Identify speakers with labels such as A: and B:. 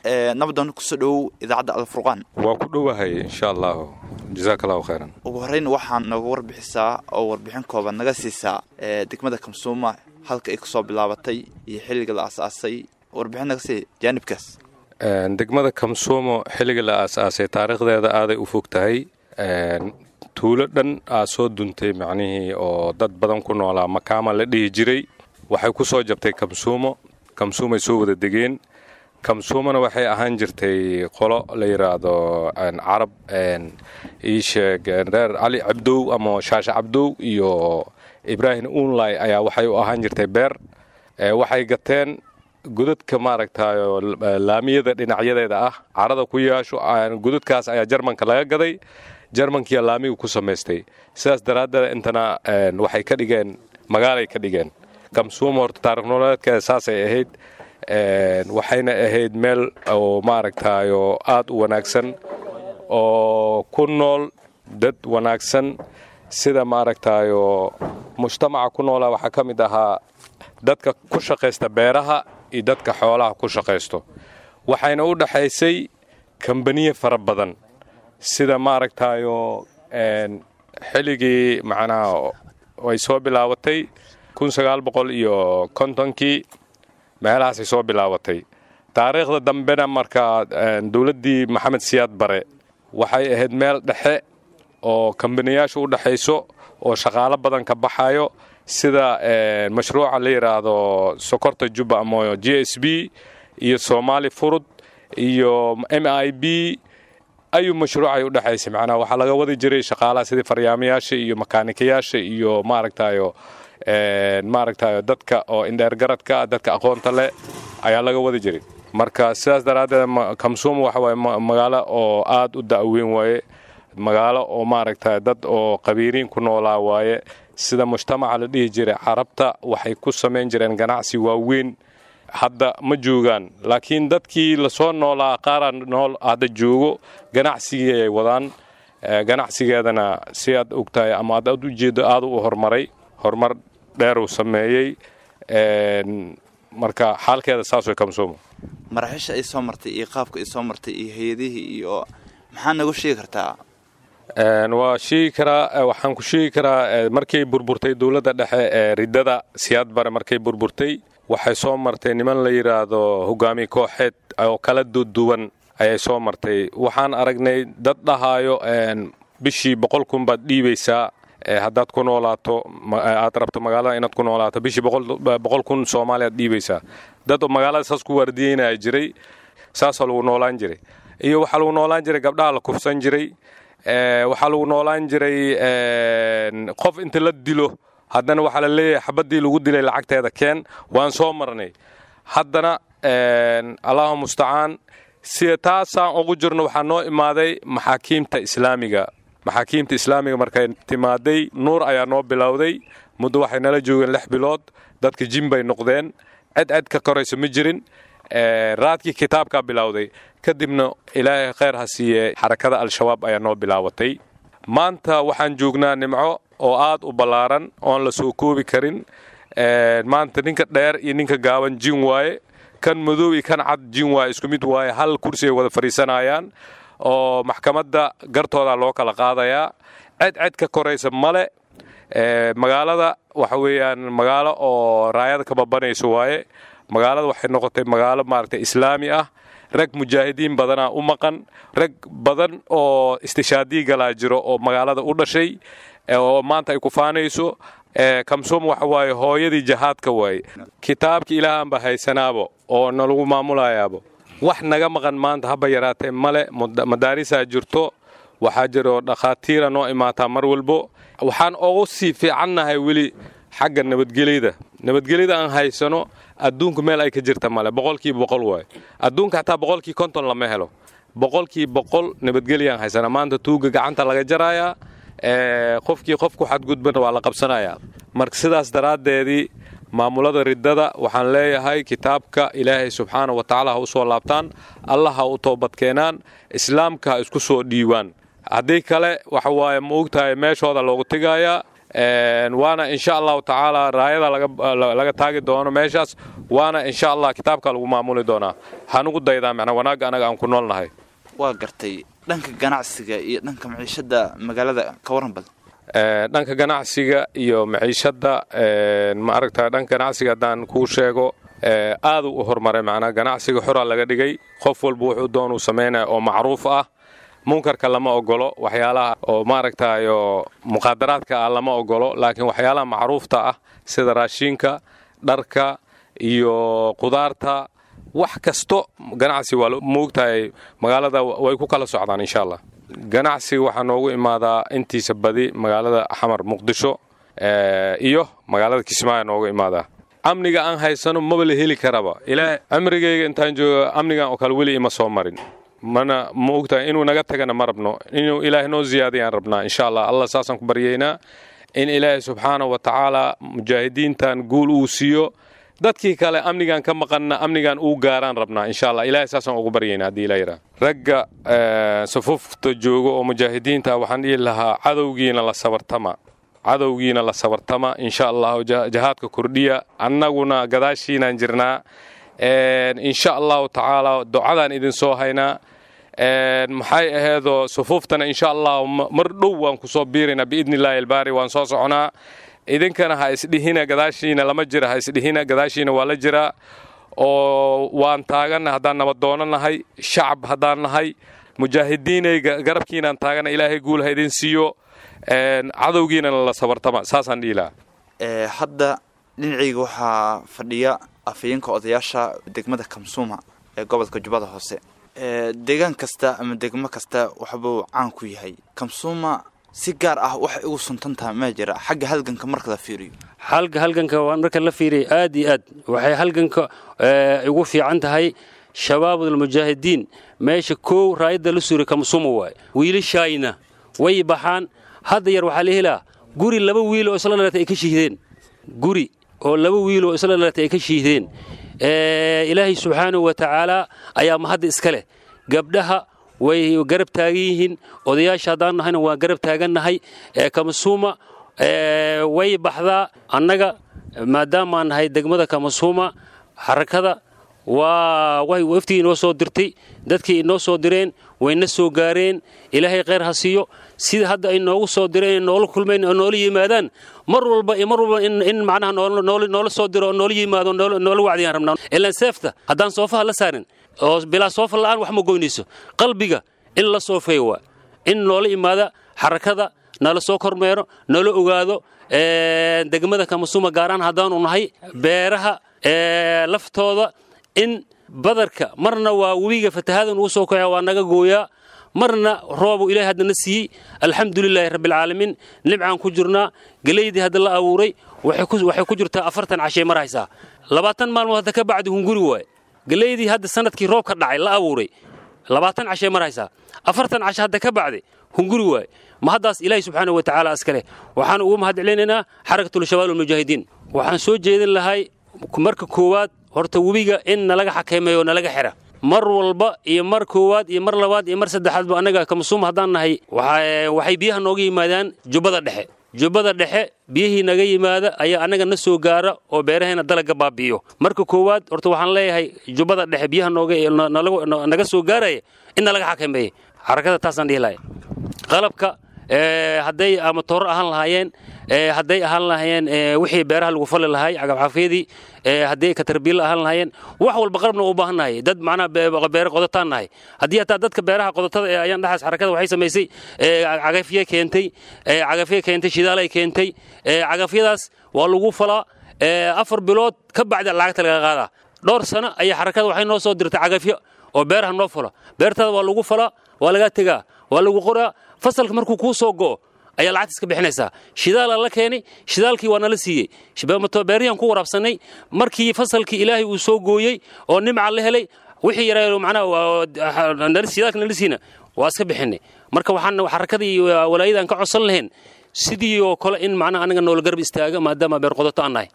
A: Nabadoon, kusoo dhowow idaacadda Alfurqaan.
B: Waa ku dhowahay, insha Allahu, jazaak Allahu khayran.
A: Ugu horreyn waxaan nooga warbixisaa oo warbixin kooban naga siisaa degmada Kamsuuma, halka ay kasoo bilaabatay iyo xilliga la aas-aasay. Warbixin naga sii jaanibkaas.
B: Degmada Kamsuumo xilliga la aas-aasay taariikhdeeda aaday u fog tahay. Tuulo dhan aa soo duntay, macnihii oo dad badan ku noolaa, Makaama la dhihi jiray, waxay ku soo jabtay Kamsuumo. Kamsuumay soo wada degeen. Kamsuumona waxay ahaan jirtay qolo la yidhaahdo Carab, ii sheeg, reer Cali Cabdow ama Shaashe Cabdow iyo Ibraahim Unlay ayaa waxay u ahaan jirtay beer. Waxay gateen godadka, maaragtayo, laamiyada dhinacyadeeda ah, carada ku yeesho. Godadkaas ayaa Jarmanka laga gaday, Jarmankiya laamiga ku samaystay. Sidaas daraaddeed intana waxay ka dhigeen magaalay ka dhigeen. Kamsuuma horta taarikh nololeedkeeda saasay ahayd, waxayna ahayd meel oo, maaragtayo, aad u wanaagsan oo ku nool dad wanaagsan. Sida, maaragtayo, mujtamaca ku noolaa waxaa ka mid ahaa dadka ku shaqaysta beeraha iyo dadka xoolaha ku shaqaysto. Waxayna u dhaxaysay kambaniye fara badan. Sida, maaragtayo, xilligii macnaha ay soo bilaabatay 1950-kii meelahaasay soo bilaabatay. Taariikhda dambena markaa dowladdii Maxamed Siyaad Bare waxay ahayd meel dhexe oo kambaniyaasha u dhexayso oo shaqaalo badan ka baxayo, sida mashruuca la yidhaahdo Sokorta Jubba ama GSB iyo Soomaali Furud iyo MIB ayuu mashruucay u dhexaysay. Macnaha waxaa laga wadi jiray shaqaalaha, sidii faryaamayaasha iyo makaanikayaasha iyo, maaragtayo, dadka oo indheergaradka, dadka aqoonta leh ayaa laga wadi jiray. Marka sidaas daraaddeed Kamsuuma waxa waaye magaalo oo aad u da'weyn waaye, magaalo oo, maaragta, dad oo qabiiriin ku noolaa waaye. Sida mujtamaca la dhihi jiray Carabta waxay ku samayn jireen ganacsi waaweyn. Hadda ma joogaan, laakiin dadkii lasoo noolaa qaaraa nool hadda joogo, ganacsigii ay wadaan. Ganacsigeedana si aad ogtahay ama aad u jeedo aad u horumaray, horumar dheeruu sameeyey. Marka xaalkeeda saas way Kamsuuma.
A: Maraaxiisha ay soo martay iyo qaabka ay soo martay iyo hay-adihii iyo maxaa nagu sheegi kartaa?
B: Waa sheegi karaa. Waxaan ku sheegi karaa, markay burburtay dowladda dhexe ee riddada Siyaad Bare, markay burburtay waxay soo martay niman la yidhaahdo hogaamiye kooxeed oo kala duduwan ayay soo martay. Waxaan aragnay dad dhahaayo bishii 100,000 baad dhiibaysaa haddaad ku noolaato, aad rabto magaalada inaad ku noolaato, bishii 100,000 Soomaaliya aad dhiibaysaa. Dad magaalada saas ku waardiyeynaya jiray, saasaa lagu noolaan jiray. Iyo waxaa lagu noolaan jiray gabdhaha la kufsan jiray. Waxaa lagu noolaan jiray qof inta la dilo haddana waxaa la leeyahay xabaddii lagu dilay lacagteeda keen. Waan soo marnay. Haddana Allahu mustacaan, sida taasaan ugu jirno waxaa noo imaaday maxaakiimta islaamiga. Maxaakiimta islaamiga markay timaaday nuur ayaa noo bilowday. Muddo waxay nala joogeen 6 bilood. Dadka jin bay noqdeen, cid cid ka koraysa ma jirin. Raadkii kitaabkaa bilowday. Kadibna Ilaahay khayr ha siiye, Xarakada Al-Shabaab ayaa noo bilaabatay. Maanta waxaan joognaa nimco oo aad u ballaaran oon la soo koobi karin. Maanta ninka dheer iyo ninka gaaban jin waaye, kan madow iyo kan cad jin waaye, isku mid waaye. Hal kursi ay wada fadhiisanayaan oo maxkamadda gartooda loo kala qaadayaa. Cid cid ka koraysa male. Magaalada waxa weeyaan magaalo oo raayada ka babanayso waaye. Magaalada waxay noqotay magaalo, maaragtay, islaami ah. Rag mujaahidiin badanaa u maqan, rag badan oo istishaadii galaa jiro oo magaalada u dhashay oo maanta ay ku faanayso. Kamsuum waxa waaye hooyadii jahaadka waaye. Kitaabka Ilaahanba haysanaabo oo nalagu maamulayaabo. Wax naga maqan maanta haba yaraatee male. Madaarisaa jirto, waxaa jiro dhakhaatiira noo imaataa mar walbo. Waxaan ugu sii fiicannahay weli xagga nabadgelyada. Nabadgelyada aan haysano adduunku meel ay ka jirta male. 100% waaye. Adduunka xataa 50% lama helo. 100% nabadgelyaan haysana maanta. Tuuga gacanta laga jarayaa, qofkii qof ku xadgudbana waa la qabsanayaa. Marka sidaas daraaddeedii maamulada riddada waxaan leeyahay kitaabka Ilaahay subxaana wa tacaala ha u soo laabtaan, Allah ha u toobadkeenaan, islaamka ha isku soo dhiibaan. Haddii kale waxa waaye, ma ogtahay, meeshooda loogu tegayaa. Waana insha Allahu tacaala raayada laga taagi doono meeshaas, waana insha Allah kitaabka lagu maamuli doonaa. Hanugu daydaa macnaa wanaagga anaga aan ku noolnahay.
A: Waa gartay. Dhanka ganacsiga iyo dhanka maciishada magaalada ka waran bal.
B: Dhanka ganacsiga iyo maciishada, ma aragtaa, dhanka ganacsiga haddaan kuu sheego, aaduu u horumaray. Macnaa ganacsiga xoraa laga dhigay, qof walba wuxuu doonuu samaynaya oo macruuf ah. Munkarka lama ogolo, waxyaalaha oo maaragtayo muqaadaraadka ah lama ogolo, laakiin waxyaalaha macruufta ah sida raashinka, dharka iyo qudaarta, wax kasto ganacsi waa moogtahay, magaalada way ku kala socdaan insha Allah. Ganacsiga waxaa noogu imaadaa intiisa badi magaalada Xamar, Muqdisho iyo magaalada Kismaayo noogu imaadaa. Amniga aan haysano maba la heli karaba. Ilaa amrigayga intaan joogo amnigan oo kale weli ima soo marin, mana ma ogtahay inuu naga tagana ma rabno, inuu Ilaahay noo ziyaadiyaan rabnaa insha Allah. Allah saasaan ku baryaynaa in Ilaahay subxaanahu wa tacaala mujaahidiintan guul uu siiyo, dadkii kale amnigan ka maqanna amnigan uu gaaraan rabnaa insha Allah. Ilaahay saasaan ugu baryaynaa haddii Ilaah yidhaah. Ragga safufta joogo oo mujaahidiinta waxaan dhihi lahaa, cadowgiina la sabartama, cadowgiina la sabartama insha Allahu, jahaadka kordhiya, annaguna gadaashiinaan jirnaa insha Allahu tacaala, ducadaan idin soo haynaa. Maxay aheedoo sufuuftana insha Allahu mar dhow waan ku soo biiraynaa biidni Illaahi albaari, waan soo soconaa. Idinkana ha isdhihina gadaashiina lama jira, ha isdhihina, gadaashiina waa la jiraa oo waan taaganna. Haddaan nabad nahay, shacab haddaan nahay, mujaahidiinay garabkiinaan taagana. Ilaahay guul ha idin siiyo, cadowgiinana la sabartama, saasaan dhihi lahaa.
A: Hadda dhinacayga waxaa fadhiya afhayeenka odayaasha degmada Kamsuuma ee gobolka Jubbada Hoose. Deegaan kasta ama degmo kasta waxbuu caan ku yahay. Kamsuuma si gaar ah waxay ugu suntan tahay ma jira xagga halganka marka la fiiriyo?
C: Xalka halganka waa marka la fiiriyo aad iyo aad waxay halganka ugu fiican tahay. Shabaabulmujaahidiin meesha kow raayadda la suuray Kamsuuma waaye. Wiilashaayna way baxaan. Hadda yar waxaa la helaa guri laba wiil oo isla dhalatay ay ka shihdeen, guri oo laba wiil oo isla dhalatay ay ka shihdeen. Ilaahay subxaanahu wa tacaala ayaa mahadda iska leh. Gabdhaha way garab taagan yihiin, odayaasha haddaan nahayna waan garab taagannahay. Kamasuuma way baxdaa. Annaga maadaamaan nahay degmada Kamasuuma, xarakada waa waftigii inoo soo dirtay, dadkii inoo soo direen wayna soo gaareen. Ilaahay khayr ha siiyo. Sida hadda ay noogu soo direen, noola kulmeen oo noola yimaadaan mar walba iyo mar walba, in macnaha noola soo diro oo noola yimaado, noola wacdiyaan rabnaa. Ilaan seefta haddaan soofaha la saarin oo bilaa soofa la'aan wax ma goynayso. Qalbiga in la soofeeyo waa in noola imaada xarakada, nala soo kormeero, nala ogaado degmada Kamasuuma gaaraan haddaanu nahay. Beeraha laftooda in badarka marna waa webiga fatahaada nugu soo kaca waa naga gooyaa, marna roobu Ilahay hadda na siiyey. Alxamdulilaahi rabbialcaalamiin, nimcaan ku jirnaa. Geleydii hadda la abuuray waxay ku jirtaa 40 cashay maraysaa, 20 maalmood hadda ka bacdi hunguri waaye. Geleydii hadda sanadkii roobka dhacay la abuuray 20 cashay maraysaa, 40 casho hadda ka bacdi hunguri waaye. Ma haddaas Ilaahay subxaanahu wa tacaala iskale. Waxaan ugu mahad celinaynaa Xarakatul Shabaab almujaahidiin. Waxaan soo jeedin lahay marka koowaad horta webiga in nalaga xakameeyo, nalaga xira mar walba iyo mar koowaad iyo mar labaad iyo mar saddexaadba. Annaga Kamasuum haddaan nahay, waxay biyaha nooga yimaadaan Jubbada Dhexe. Jubbada Dhexe biyihii naga yimaada ayaa annaga na soo gaara oo beeraheena dalagga baabi'iyo. Marka koowaad horta waxaan leeyahay Jubbada Dhexe biyaha nooga naga soo gaaraya in nalaga xakameeyo xarakada, taasaan dhihi lahay. Qalabka hadday ama tooro ahaan lahaayeen, hadday ahaan lahaayeen wixii beeraha lagu fali lahay, cagafcafyadii, hadday katarbiil ahaan lahaayeen, wax walba qalabna u baahan nahay. Dad macnaha beero qodataan nahay. Haddii hataa dadka beeraha qodatada ee ayaan dhaxaas xarakada waxay samaysay cagafye keentay, cagafye keentay, shidaalay keentay. Cagafyadaas waa lagu falaa, 4 bilood ka bacdi lacagta laga qaadaa. Dhowr sano ayaa xarakada waxay noo soo dirtay cagafyo oo beeraha noo falo. Beertaada waa lagu falaa, waa lagaa tegaa, waa lagu qoraa. Fasalka markuu kuu soo go'o ayaa lacagta iska bixinaysaa. Shidaalaa la keenay, shidaalkii waa nala siiyey, beeriyaan ku waraabsanay. Markii fasalkii Ilaahay uu soo gooyey oo nimca la helay, wixii yaraa macnaha shidaalka nala siina waa iska bixinay. Marka waxaan xarakadii iyo walaayadaan ka codsan lahayn sidii oo kale in macnaha anaga noola garab istaaga, maadaama beer qodato aan nahay.